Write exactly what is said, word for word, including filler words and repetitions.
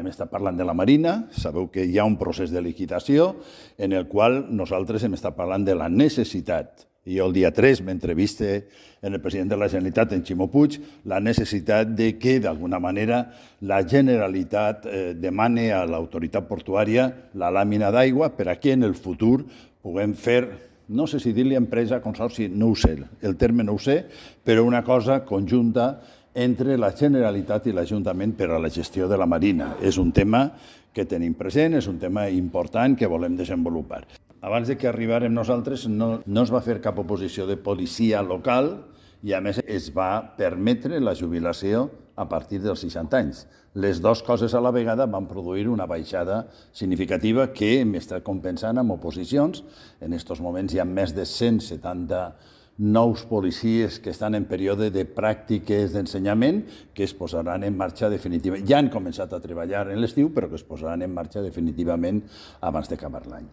hem estat parlant de la Marina, sabeu que hi ha un procés de liquidació en el qual nosaltres hem estat parlant de la necessitat, i jo el dia tres m'entreviste en el president de la Generalitat, en Ximo Puig, la necessitat de que, d'alguna manera, la Generalitat eh, demane a l'autoritat portuària la làmina d'aigua per a que en el futur puguem fer, no sé si dir-li empresa, consorci, no ho sé, el terme no ho sé, però una cosa conjunta entre la Generalitat i l'Ajuntament per a la gestió de la Marina. És un tema que tenim present, és un tema important que volem desenvolupar. Abans de que arribàrem nosaltres no, no es va fer cap oposició de policia local i a més es va permetre la jubilació a partir dels seixanta anys. Les dues coses a la vegada van produir una baixada significativa que hem estat compensant amb oposicions. En aquests moments hi ha més de cent setanta nous policies que estan en període de pràctiques d'ensenyament que es posaran en marxa definitivament. Ja han començat a treballar en l'estiu, però que es posaran en marxa definitivament abans d'acabar l'any.